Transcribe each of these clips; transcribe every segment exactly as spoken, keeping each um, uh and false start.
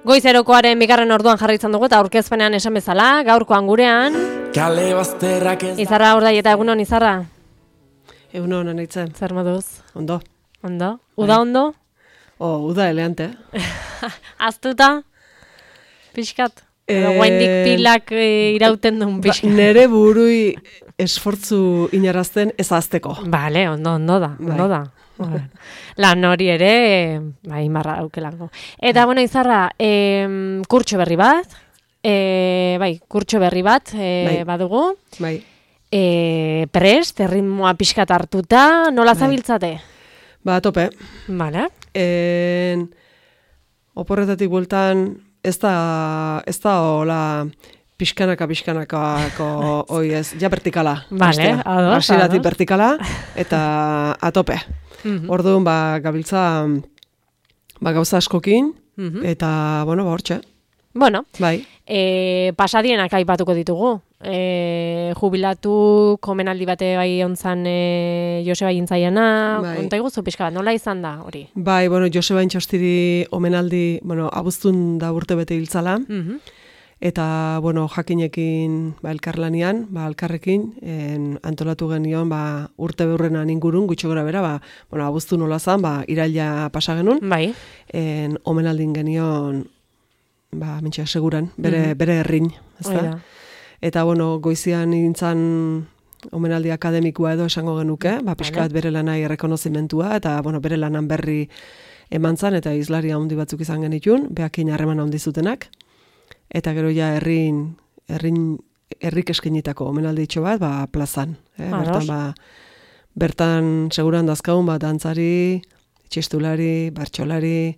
Goizerokoaren bigarren orduan jarraitzen dugu eta aurkezpenean esan bezala, gaurkoan gurean. Kale bazterrak ez. Izarra Urdai eta egunon Izarra. Egunon anaitzen. Zer moduz? Ondo. Ondo. Uda ondo? Oh, uda eleante. Aztuta? Pixkat? Edo Eh, guaindik pilak e, irauten duen Ba, pixkat. nere burui esfortzu inarazten ez azteko. Bale, ondo, ondo da, Bai. ondo da. Lan hori ere, bai, marra daukelango. Eta, bueno, Izarra, eh, kurtso berri bat, eh, bai, kurtso berri bat eh, Bai. badugu, Bai. eh, prest, erritmoa pixkat hartuta, nola Bai. zabiltzate? Ba, tope. Bale. En, oporretatik bueltan ez da, ez da hola pixkanaka, pixkanakako, oi ez, ja vertikala. Vale, hastea. ados, Hasieratik ados. vertikala eta atope. Mhm. Orduan, ba, gabiltza, ba, gauza askokin, Mhm. eta, bueno, ba, hortxe. Bueno, Bai. e, pasadienak aipatuko ditugu. E, jubilatu komenaldi bate bai ontzan e, Joseba Jintzaiana, Bai. konta iguzu pixka bat, nola izan da hori? Bai, bueno, Joseba Intxostiri omenaldi, bueno, abuztun da urte bete hiltzala, Mhm. eta, bueno, jakinekin, ba, elkarlanian, ba, elkarrekin, en, antolatu genion, ba, urte beurrenan ingurun, gutxo gora bera, ba, bueno, abuztun nola zan, ba, iraila pasa genuen, Bai. en, omenaldin genion, ba, mentxe, seguran, bere, Mhm. bere herrin, Hori ezta? da. Eta, bueno, goizian nintzen omenaldi akademikoa edo esango genuke, ba, pixkat bere lanai errekonozimentua, eta, bueno, bere lanan berri eman zan, eta izlaria handi batzuk izan genitun, behakin harreman handi zutenak, eta gero ja herrin, herrin, herrik eskenitako omenalditxo bat, ba, plazan. Eh? Ados. Bertan, ba, bertan seguran dazkagun, ba, dantzari, txistulari, bertsolari,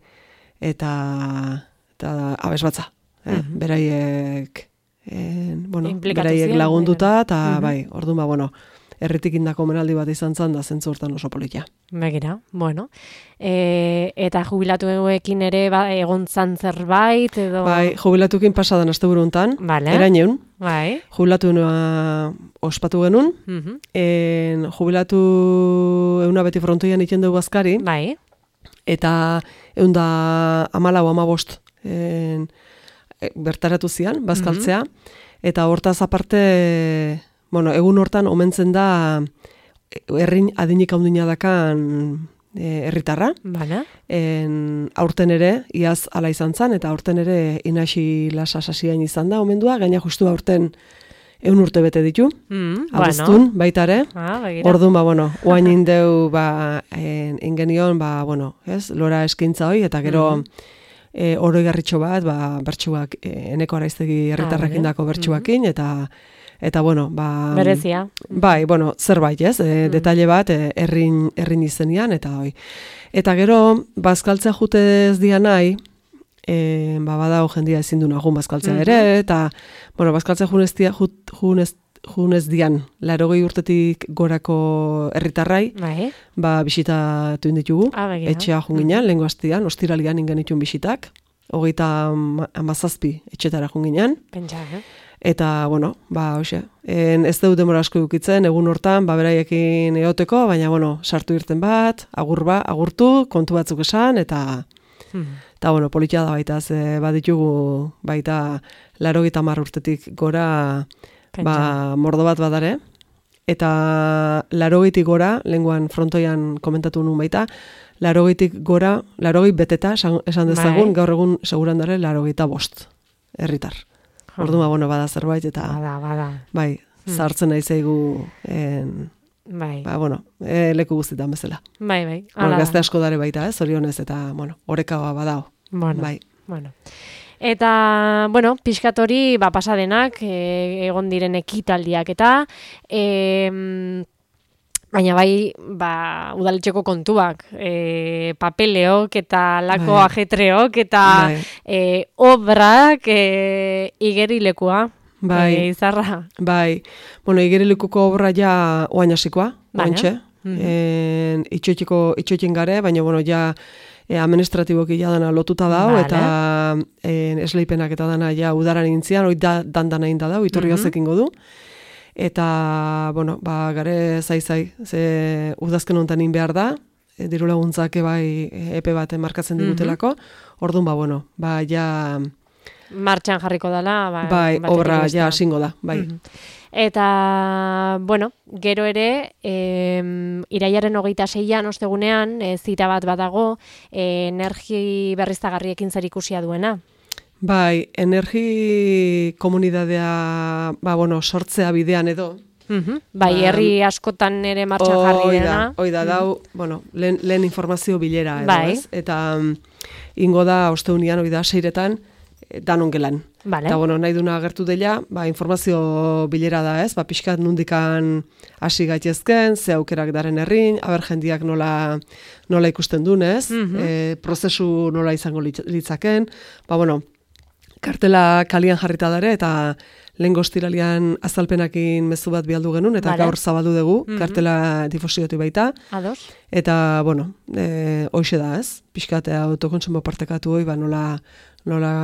eta, eta abesbatza. Eh? Mhm. Beraiek, eh, bueno, Inplikatu beraiek ziren, lagunduta, eta Mhm. bai, orduan, ba, bueno, herritik indako omenaldi bat izan zan, da zentzu hortan oso politia. Begira, bueno. E, eta jubilatuekin ere ba, egon zan zerbait, edo... Bai, jubilatukin pasadan asteburu hontan, Vale. eraineun, Bai. jubilatu nua ospatu genuen, Mhm. en, jubilatu euna beti frontoian iten dugu azkari, Bai. eta eunda amalau amabost en, e, bertaratu zian, bazkaltzea, eta hortaz aparte, bueno, egun hortan omentzen da herrin adinik handina dakan e, herritarra, Bale. en, aurten ere, iaz ala izan zan, eta aurten ere inasi lasa sasiain izan da, omendua, gaina justu aurten eun urte bete ditu, Mm, abuztun, baita ere. Ah, begira. Orduan, ba, bueno, oain indeu, ba, en, ingenion, ba, bueno, ez, lora eskintza hoi, eta gero, Mhm. e, oroi garritxo bat, ba, bertsuak, e, eneko araiztegi herritarrekin dako bertsuakin, eta, eta, bueno, ba... Berezia. Bai, bueno, zerbait, ez, e, Mhm. detaile bat, e, errin, errin izenian, eta hoi. Eta gero, bazkaltzea jute ez dian nahi, e, ba, badao jendia ezin du nagun bazkaltzea Mhm. ere, eta, bueno, bazkaltzea junez, dia, jut, junez, junez dian, larogei urtetik gorako herritarrai, Bai. ba, bisitatu inditugu, Ah, begira. etxea junginan, lehengo astian, ostiralian ingenitun bisitak, hogeita ama- hamazazpi etxetara junginan, Pentsa, eh? eta, bueno, ba, hoxe, en, ez dut demora asko dukitzen, egun hortan, ba, beraiekin eoteko, baina, bueno, sartu irten bat, agur ba, agurtu, kontu batzuk esan, eta, Mhm. eta, bueno, politia da baita, ze baditugu, baita, larogeita hamar urtetik gora, Pentsa. ba, mordo bat badare, eta larogeitik gora, lenguan frontoian komentatu nuen baita, larogeitik gora, larogei beteta, esan, esan dezagun, Bai. gaur egun seguran dare, larogeita bost, herritar. Ja. Orduan, bada, bueno, bada zerbait, eta, Bada, bada. bai, Hmm. zartzen nahi zaigu, en, Bai. ba, bueno, e, leku guztietan bezala. Bai, bai. Bueno, Hala da. gazte asko dare baita, ez, zorionez, eta, bueno, orekagoa badao. Bueno. Bai. Bueno. Eta, bueno, pixkat hori, ba, pasadenak, e, egon diren ekitaldiak eta, e, baina bai, ba, udaletxeko kontuak, e, papeleok eta lako Bai. ajetreok eta Bai. e, obrak e, igerilekua. Bai. E, Izarra. Bai, bueno, igerilekuko obra ja oain hasikoa, Bale. oaintxe. Mhm. En, itxoitiko, itxoitin gare, baina, bueno, ja e, administratiboki ja dana lotuta dau, Bale. eta en, esleipenak eta dana ja udaran intzian, hoi da, dandana inda dau, iturri Mhm. ekingo du. Eta, bueno, ba, gare zai-zai, ze udazken honetan in behar da, diru laguntzak bai epe bat markatzen digutelako, orduan, ba, bueno, ba, ja... Martxan jarriko dela, ba, bai, obra ja hasingo da, bai. Mm-hmm. Eta, bueno, gero ere, e, irailaren hogeita seian ostegunean, e, zita bat badago, e, energi berriztagarriekin zer ikusia duena. Bai, energi komunidadea, ba, bueno, sortzea bidean edo. Uh-huh. Bai, herri askotan ere martxan jarri dena. Hoi da, dau, uh-huh. bueno, lehen, lehen informazio bilera edo, bai. Ez? Eta um, ingo da, osteunian, hoi da, seiretan, danon gelan. Vale. Eta, bueno, nahi duna agertu dela, ba, informazio bilera da, ez? Ba, pixkat nundikan hasi gaitezken, ze aukerak daren herrin, aber jendiak nola, nola ikusten duen, ez? Uh-huh. E, prozesu nola izango litzaken. Ba, bueno, kartela kalian jarrita dare, eta lehen goztiralian azalpenakin mezu bat bialdu genuen, eta vale. Gaur zabaldu dugu, uh-huh. kartela difusiotu baita. Ados. Eta, bueno, e, hoxe da, ez? Pixkat autokontsumo partekatu hoi, ba, nola, nola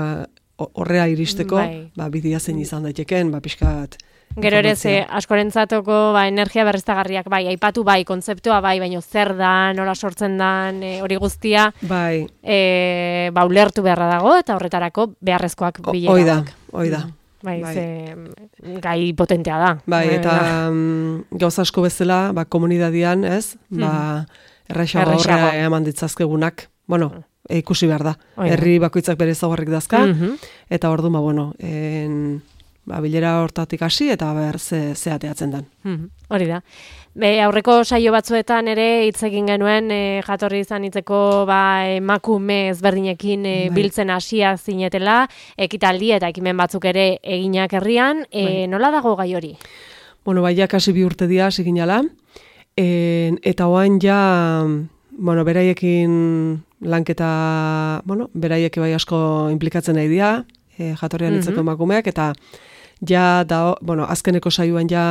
horrea iristeko, bai. Ba, bidia zein izan daiteken, ba, pixkat... Gero ere, ze, askorentzatoko ba, energia berriztagarriak, bai, aipatu bai, kontzeptua bai, baina zer da, nola sortzen dan, e, hori guztia, bai. E, ba, ulertu beharra dago, eta horretarako beharrezkoak bilera. Oida, oida. Bai, bai. Ze, gai potentea da. Bai, eta um, gauza asko bezala, ba, komunidadian, ez? Ba, erraixago horrea eman ditzazkegunak, bueno, e, ikusi behar da. Oida. Herri bakoitzak bere ezaugarrik dazka, uh-huh. eta ordu, ba, bueno, en... Ba, bilera hortatik hasi eta ber ze, ze ateatzen dan. Hmm, hori da. Be, aurreko saio batzuetan ere hitz egin genuen e, jatorri izan hitzeko ba, emakume ezberdinekin e, biltzen hasia zinetela, ekitaldi eta ekimen batzuk ere eginak herrian, e, nola dago gai hori? Bueno, bai, ja kasi bi urte dira siginala, e, eta oain ja, bueno, beraiekin lanketa, bueno, beraiek bai asko implikatzen nahi dira, e, jatorrian hitzeko mm-hmm. emakumeak, eta ja, da, bueno, azkeneko saioan ja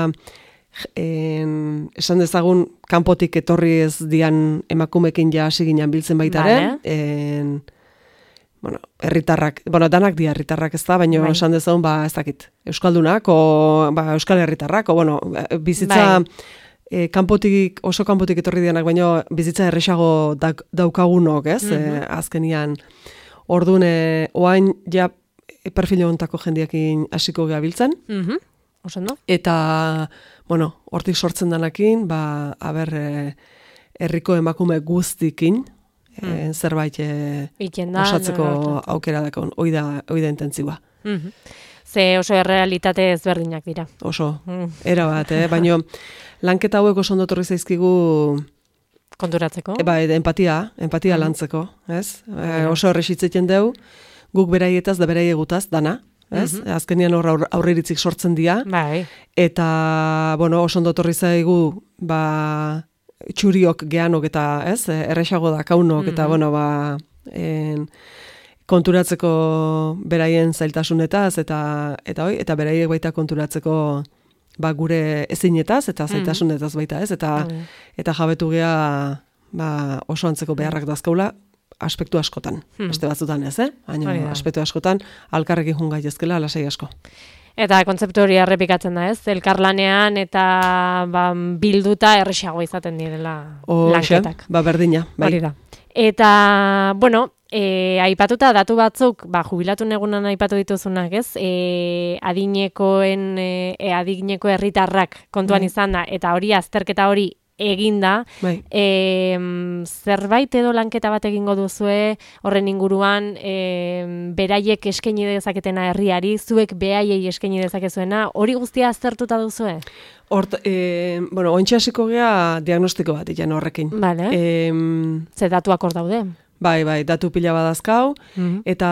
en, esan dezagun kanpotik etorri ez dian emakumekin ja hasi ginen biltzen baitaren. Vale. En, bueno, herritarrak, bueno, danak dia herritarrak ez da, baina bai. Esan dezagun, ba, ez dakit, euskaldunak, o, ba, euskal herritarrak, o, bueno, bizitza bai. e, kanpotik, oso kanpotik etorri dianak, baina bizitza erresago dauk, daukagunok, ez, mm-hmm. e, azkenian, orduan, e, oain, ja, perfilo ontako jendiakin hasiko gabiltzen. Mhm. Osondo. Eta, bueno, hortik sortzen danakin, ba, aber, herriko emakume guztikin, mm. e, zerbait e, osatzeko no, aukera dakon, hoi da, hoi da intentzioa. Mhm. Ze oso errealitate ezberdinak dira. Oso, mm. era bat, eh? Baina lanketa hauek oso ondo torri zaizkigu konturatzeko. E, ba, empatia, empatia mm. lantzeko, ez? E, oso erresitzen deu, guk beraietaz da beraiegutaz, dana, ez? Mm-hmm. Azkenian hor aurriritzik sortzen dira. Bai. Eta, bueno, oso ondo torri zaigu, ba, txuriok geanok eta, ez? Erresago da kaunok, mm-hmm. eta, bueno, ba, en, konturatzeko beraien zailtasunetaz, eta, eta, oi, eta beraiek baita konturatzeko ba, gure ezinetaz, eta zailtasunetaz baita, ez? Eta, mm-hmm. eta jabetu gea, ba, oso antzeko beharrak dazkaula, aspektu askotan, hmm. beste batzutan ez, eh? Baina aspektu askotan, alkarrekin jungai ezkela, lasai asko. Eta kontzeptu hori errepikatzen da ez, elkarlanean eta ba, bilduta erresago izaten direla o, lanketak. Ba, berdina, bai. Hori da. Eta, bueno, e, aipatuta datu batzuk, ba, jubilatu negunan aipatu dituzunak ez, e, adinekoen, e, adineko herritarrak kontuan bai. Izan da, eta hori azterketa hori eginda, bai. e, zerbait edo lanketa bat egingo duzue, horren inguruan, e, beraiek eskaini dezaketena herriari, zuek behaiei eskaini dezakezuena, hori guztia aztertuta duzue? Hort, e, bueno, ointxe hasiko gea diagnostiko bat ikan horrekin. Vale. E, Ze datuak hor daude? Bai, bai, datu pila badazkau, mm-hmm. eta,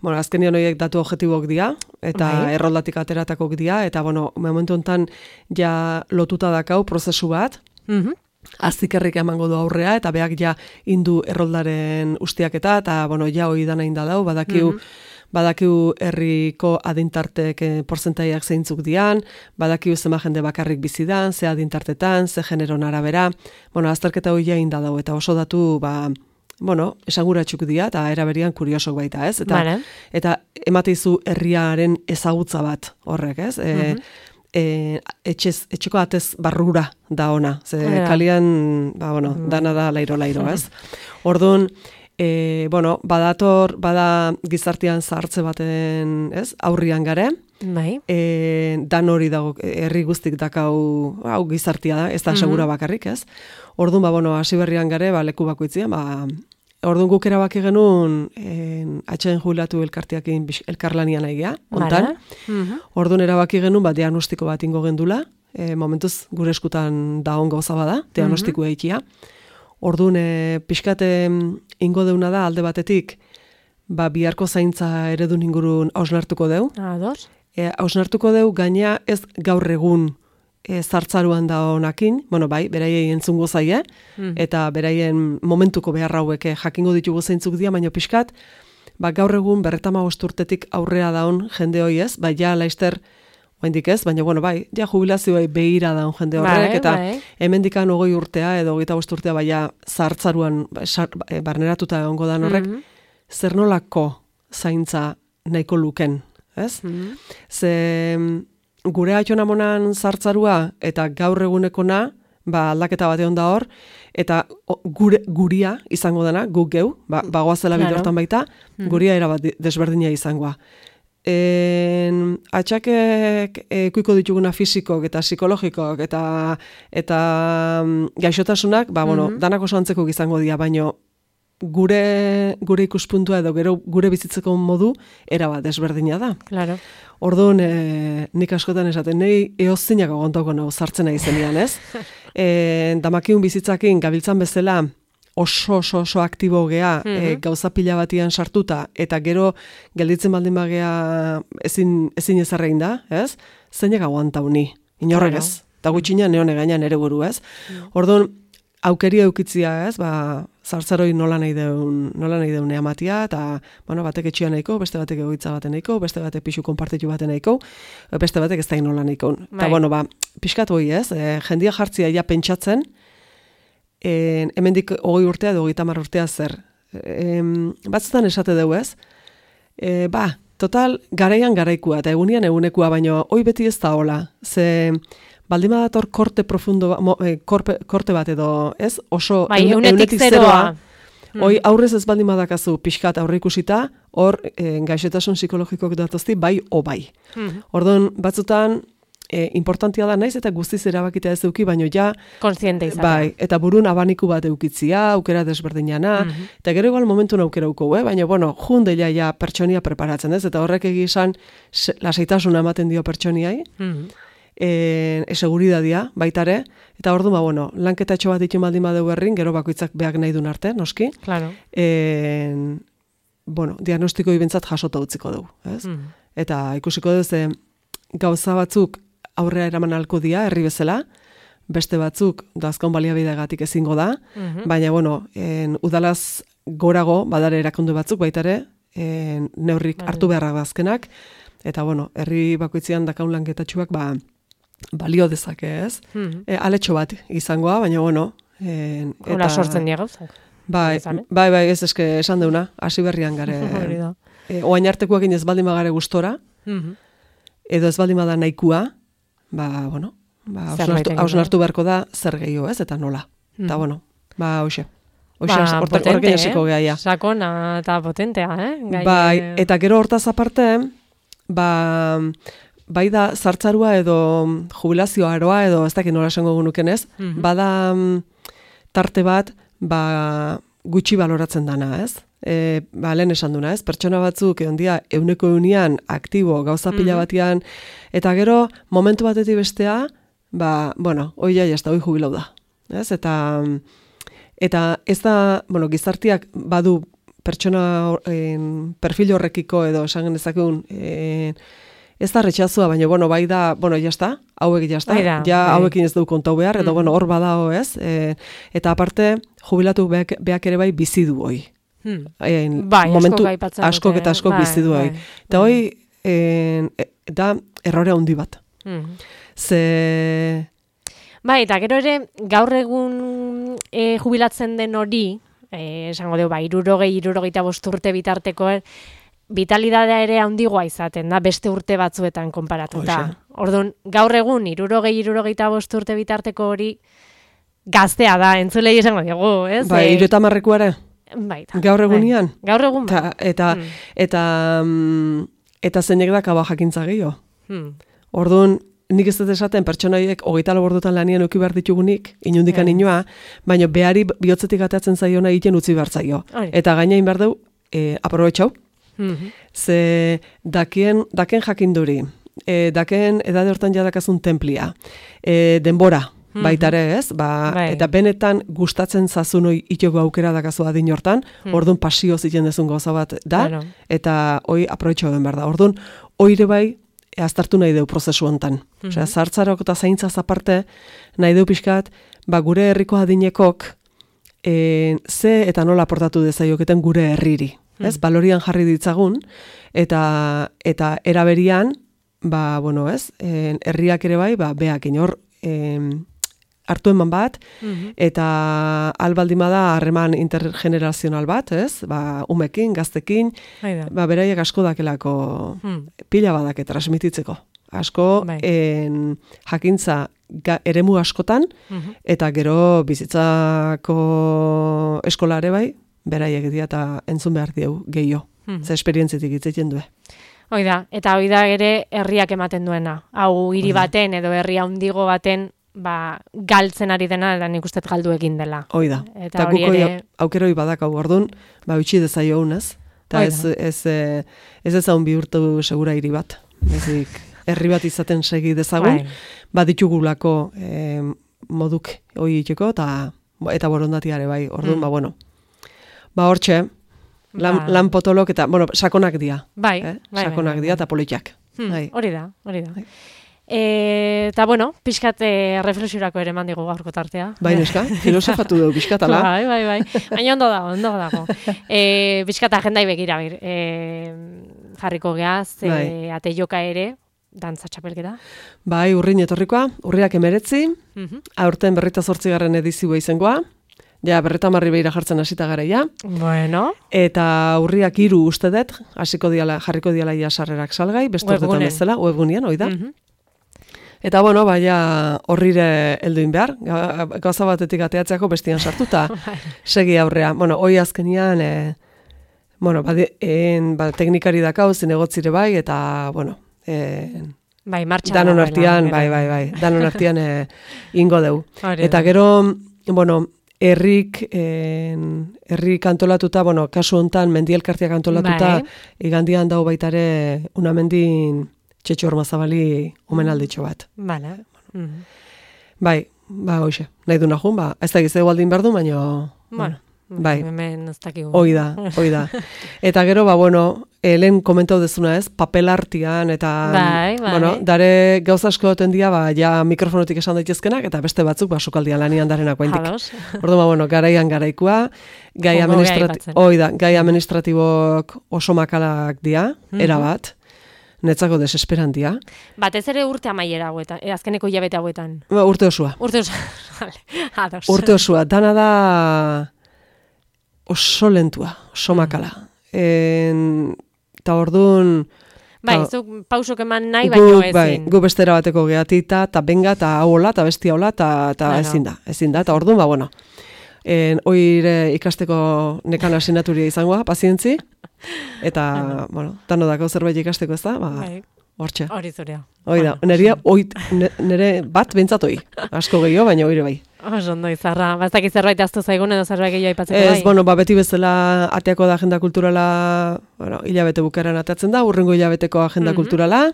bueno, azkenian horiek datu objektibok dira, eta bai. Erroldatik ateratakok dira, eta, bueno, momentu honetan ja lotuta dakau prozesu bat, mm-hmm. aztikerrik emango du aurrea, eta beak ja indu erroldaren ustiaketa, eta, bueno, ja hori dana indadau, badakiu, mm-hmm. badakiu herriko adintartek eh, porzentaiak zeintzuk dian, badakiu zema jende bakarrik bizidan, ze adintartetan, ze generon arabera, bueno, azterketa hori ja indadau, eta oso datu, ba, bueno, esanguratxuk dira, eta eraberian kuriosok baita, ez? Eta, vale. Eta emateizu herriaren ezagutza bat horrek, ez? E, mm-hmm. e, etxez, etxeko atez barrura da ona. Ze Hala. kalian, ba, bueno, dana da lairo-lairo, ez? Orduan, e, bueno, badator, bada gizartean zahartze baten, ez? Aurrian gare, Bai. e, dan hori dago, herri guztik dakau, hau gizartia da, ez da segura bakarrik, ez? Orduan, ba, bueno, hasi berrian gare, ba, leku bakoitzian, ba, orduan guk erabaki genuen, en, atxeen jubilatu elkartiakin elkarlanian aigea, ontan. Mhm. Orduan erabaki genuen, ba, diagnostiko bat ingo gendula, e, momentuz gure eskutan da on gauza bada, diagnostiko eikia. Orduan, e, pixkate ingo deuna da, alde batetik, ba, biharko zaintza eredun ingurun hausnartuko deu. Ados. E, hausnartuko deu, gaina ez gaur egun e, zartzaruan da honakin, bueno, bai, beraiei entzungo zaie, Mm. eta beraien momentuko behar hauek jakingo ditugu zeintzuk dira, baina pixkat, ba, gaur egun berretama urtetik aurrea daun jende hoi ez, bai, ja, laister, oaindik ez, baina, bueno, bai, ja, jubilazioa behira daun jende horrek, Bai, eta bai. hemendikan hogei urtea, edo hogeita bost urtea, bai, ja, zartzaruan ba, sar, e, barneratuta egongo dan horrek, Mhm. zer nolako zaintza nahiko luken, ez? Mhm. Ze mm, gure atxonamonan zartzarua eta gaur egunekona, ba, aldaketa bat egon da hor, eta o, gure, guria izango dena, guk geu, ba, bagoazela Claro. bidortan baita, guria erabat di- desberdina izangoa. En, atxakek ekuiko dituguna fisikok eta psikologikok eta eta mm, gaixotasunak, ba, bueno, Mhm. danak oso antzeko izango dira, baino gure gure ikuspuntua edo gero gure bizitzeko modu erabat desberdina da. Claro. Orduan, e, nik askotan esaten, nahi eozinak agontauko nahu sartzen nahi zenean, ez? E, damakiun bizitzakin gabiltzan bezala oso oso oso aktibo gea, e, gauza pila batian sartuta, eta gero gelditzen baldin bagea ezin, ezin ezarrein da, ez? Zeinak aguantau ni, inorrek Claro. ez? Eta gutxina neone gaina nere buru, ez? Orduan, aukeria eukitzia, ez? Ba, zartzaroi nola nahi deun, nola nahi deun eamatia, eta, bueno, batek etxia nahiko, beste batek egoitza baten nahiko, beste batek pixu konpartitu baten nahiko, beste batek ez da nola nahiko. Eta, Bai. bueno, ba, pixkat hoi, ez? E, jendia jartzia ja pentsatzen, e, hemendik hogei urtea edo hogeita hamar urtea zer. E, batzutan esate dugu, ez? E, ba, total, garaian garaikua, eta egunian egunekua, baino, hoi beti ez da hola. Ze, baldin badator korte profundo, ba- mo, e, korpe, korte bat edo, ez? Oso, Bai, eun- eunetik zeroa. Hoi aurrez ez baldin badakazu pixkat aurre ikusita, hor e, gaixotasun psikologikok datozti bai o bai. Mhm. Orduan, batzutan, e, importantia da naiz eta guztiz erabakita ez eduki, baino ja, Kontziente izatea. bai, eta burun abaniku bat eukitzia, aukera desberdinana, eta gero igual momentun aukera uko, eh? Baina, bueno, jundeia ja pertsonia preparatzen ez, eta horrek egizan lasaitasuna ematen dio pertsoniai, Mhm. e, eseguridadia baitare, eta orduan, ba, bueno, lanketatxo bat ditu baldin badeu herrin, gero bakoitzak beak nahi duen arte, noski, Claro. e, bueno, diagnostiko ibentzat jasota utziko dugu, ez? Mhm. Eta ikusiko dugu ze gauza batzuk aurrera eraman alko dia, herri bezala, beste batzuk dazkaun baliabidegatik ezingo da, Mhm. baina, bueno, en, udalaz gorago badare erakunde batzuk baitare, en, neurrik Bai. hartu beharrak da azkenak, eta, bueno, herri bakoitzean dakaun lanketatxuak, ba, balio dezake, ez? Mhm. E, aletxo bat izangoa, baina, bueno, en, Hola sortzen dira gauzak. Bai, izan, eh? bai, bai, ez eske esan deuna, hasi berrian gare. Hori da. e, oain artekoekin ez baldin bagare gustora, Mhm. edo ez baldin bada nahikua, ba, bueno, ba, Zerbait hausnartu, egin hausnartu beharko da zer gehiago, ez, eta nola. Eta, Mhm. bueno, ba, hoxe. Hoxe, Ba, horte- potente, horrekin hasiko eh? gea, ja. Sakona eta potentea, eh? Gai, Bai, eh, eta gero hortaz aparte, ba, bai da zartzarua edo jubilazio aroa edo ez dakit nola esango genuken ez, Mhm. bada mm, tarte bat, ba, gutxi baloratzen dana, ez? E, ba, lehen esan duna, ez? Pertsona batzuk egon dia euneko eunian aktibo gauza pila Mhm. batian, eta gero momentu batetik bestea, ba, bueno, hoi ja, jazta, hoi jubilau da, ez? Eta, eta ez da, bueno, gizartiak badu pertsona en, perfil horrekiko edo esan genezakun, en, ez da retxazua, baina, bueno, bai da, bueno, jazta, hauek jazta, Bai da, ja bai. hauekin ez du kontau behar, edo, Mhm. bueno, hor badao, ez? E, eta aparte, jubilatu beak, beak ere bai bizi du hoi. hmm. En, Bai, momentu, askok aipatzen askok dute, eta askok bai, bizi du hoi. bai. Eta hoi, en, e, da errore handi bat. Mhm. Ze, Bai, eta gero ere, gaur egun e, jubilatzen den hori, e, esango dugu, ba, irurogei, irurogeita bost urte bitarteko, vitalidadea ere handigoa izaten da, beste urte batzuetan konparatuta. Orduan, gaur egun, irurogei, irurogeita bost urte bitarteko hori gaztea da, entzulei esango digu, ez? Bai, E, hiru eta hamarrekoa bai, gaur egunian? Bai. Gaur egun, Ta, eta, hmm. eta, mm, eta zeinek da kaba jakintza gehiago. Hmm. Orduan, nik ez dut esaten pertsonaiek hogeita lau ordutan lanian euki behar ditugunik, inundikan Yeah. inoa, baina behari bihotzetik atatzen zaiona egiten utzi behar zaio. Hori. Eta gainain behar dugu, e, aprobetxau, Mhm. ze dakien, daken jakinduri, e, daken edade hortan jadakazun templia, e, denbora, Mhm. baitare ez, ba, Bai. eta benetan gustatzen zazun hoi itoko aukera dakazu adin hortan, Mhm. orduan pasio zitzen dezun gauza bat da, Bueno. eta hoi aprobetxau den behar da. Orduan, oire bai, aztartu nahi deu prozesu hontan. Mhm. Osea, zartzarok eta zaintzaz aparte, nahi deu pixkat, ba, gure herriko adinekok, e, ze eta nola aportatu dezaioketen gure herriri. Ez? Mhm. Balorian jarri ditzagun, eta, eta eraberian, ba, bueno, ez? E, herriak ere bai, ba, beak inor, e, hartu eman bat, Mhm. eta albaldima da harreman intergenerazional bat, ez? Ba, umekin, gaztekin, Hoi da. ba, beraiek asko dakelako Hmm. pila badake transmititzeko. Asko Bai. en, jakintza ga, eremu askotan, Mhm. eta gero bizitzako eskolare bai, beraiek dira eta entzun behar diegu gehiago. Mhm. Ze esperientzitik itzeiten du. Hoi da, eta hoi da ere herriak ematen duena. Hau hiri baten edo herri handigo baten ba, galtzen ari dena, eta nik uste galdu egin dela. Hoi da. Eta Eta hori guk ere- aukeroi badakau ordun, ba utzi dezaio ez? Eta Hoi ez da. ez ez ez ezagun bihurtu segura hiri bat. Ezik herri bat izaten segi dezagun, Bai. baditugulako eh, moduk hori itxeko eta eta borondatiare bai. Orduan Mm. ba bueno. Ba hortxe, lan, Ba. lan potolok eta bueno, sakonak dira. Bai, eh? bai, Sakonak bai, dira bai. eta politiak. Hmm, Bai. Hori da, hori da. Bai. E, eta bueno, pixkat e, reflexiorako ere mandigu gaurko tartea. Bai, neska, filosofatu dugu pixkatala. Bai, bai, bai. Baina ondo dago, ondo dago. E, pixkat agendai begira, bir. E, jarriko geaz, e, Bai. ate joka ere, dantza txapelketa. Bai, urrin etorrikoa, urriak emeretzi, Mhm. aurten berrita zortzigarren edizioa izangoa, ja, berreta marri behira jartzen hasita gara ja, Bueno, eta urriak hiru uste dut, hasiko diala, jarriko diala ja sarrerak salgai, beste urtetan Webgunen. bezala, webgunean, hoi da. Mhm. Eta bueno, baina horrire helduin behar, ga- gauza batetik ateatzeako bestian sartuta, segi aurrea. Bueno, hoi azkenian, e, bueno, badi, en, ba, teknikari dakau, zinegotzire bai, eta, bueno, e, Bai, martxan. danon dagoela, artian, gero. bai, bai, bai, danon artian e, ingo deu. Hori Eta da. gero, bueno, herrik, en, herrik antolatuta, bueno, kasu hontan mendielkartiak antolatuta, Bai. igandian dau baitare unamendin Txetxo Ormazabali omenalditxo bat. Bale. Mhm. Bai, ba, hoxe, nahi du nahun, ba, ez da gizeu aldin behar du, baina, Bueno, bai. hemen ez dakigu. hoi da, hoi da. Eta gero, ba, bueno, helen komentau dezuna ez, papel artian, eta, Bai, bai. bueno, dare gauza asko goten dia, ba, ja mikrofonotik esan daitezkenak, eta beste batzuk, ba, sukaldian lanian darenak guentik. Ados. Ordu, ba, bueno, garaian garaikua, gai, Ongo administrati aipatzen. hoi da, gai administratibok oso makalak dia, Mhm. erabat, netzako desesperan dia. Batez ere urte amaiera hauetan, eh, azkeneko hilabete hauetan. Ba, urte osua. Urte oso, vale, ados. Urte osua, dana da oso lentua, oso makala. En, eta orduan, Bai, ta- zuk pausok eman nahi, baino gu, ezin. bai, gu bestera bateko gehatita, eta benga, eta hau hola, eta bestia hola, eta eta Claro. ezin da, ezin da, eta orduan, ba, bueno, en, oire ikasteko nekan asinaturia izangoa, pazientzi, eta, bueno, dano dako zerbait ikasteko ez da, ba, Bai, hortxe. hori zurea. Hoi da, Bueno, neria, oit, ne- nere bat bentsat hoi, asko gehiago, baina oire bai. Oso ondo izarra. Baztak zerbait aztu zaigun edo zerbait gehiago aipatzeko Ez, bai. bueno, ba, beti bezala ateako da agenda kulturala, bueno, hilabete bukaran atatzen da, urrengo hilabeteko agenda Mhm. kulturala,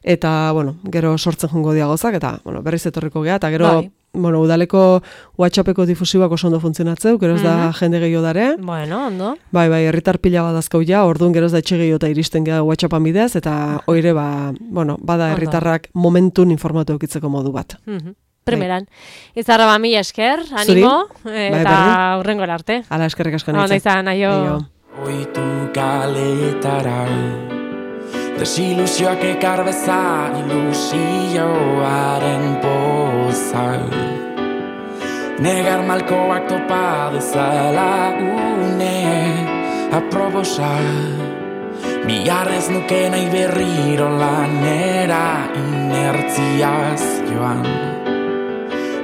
eta, bueno, gero sortzen jongo dia gozak, eta, bueno, berriz etorriko gea, eta gero, Bai. bueno, udaleko WhatsAppeko difusioak oso ondo funtzionatzeu, gero ez da jende gehiago dare, Bueno, ondo. bai, bai, herritar pila badazkau ja, orduan gero ez da etxe gehiago eta iristen gea WhatsAppan bidez, eta oire, ba, bueno, bada Ondo. herritarrak momentun informatu eukitzeko modu bat. Mhm. Primeran. Izarra ba mila esker, Zuri? animo, Bai, eta berdin. urrengo arte. Ala, eskerrik asko Ondo nintzen. izan, aio. Aio. Oitu kaletara desilusioak ekar bezan ilusioaren poza negar malkoak topa dezala une aprobosa Biharrez nuke nahi berriro lanera inertziaz joan.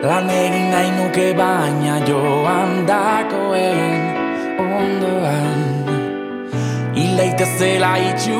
Lan egin nahi nuke baina joan dakoen ondoan. Hilaitezela itxu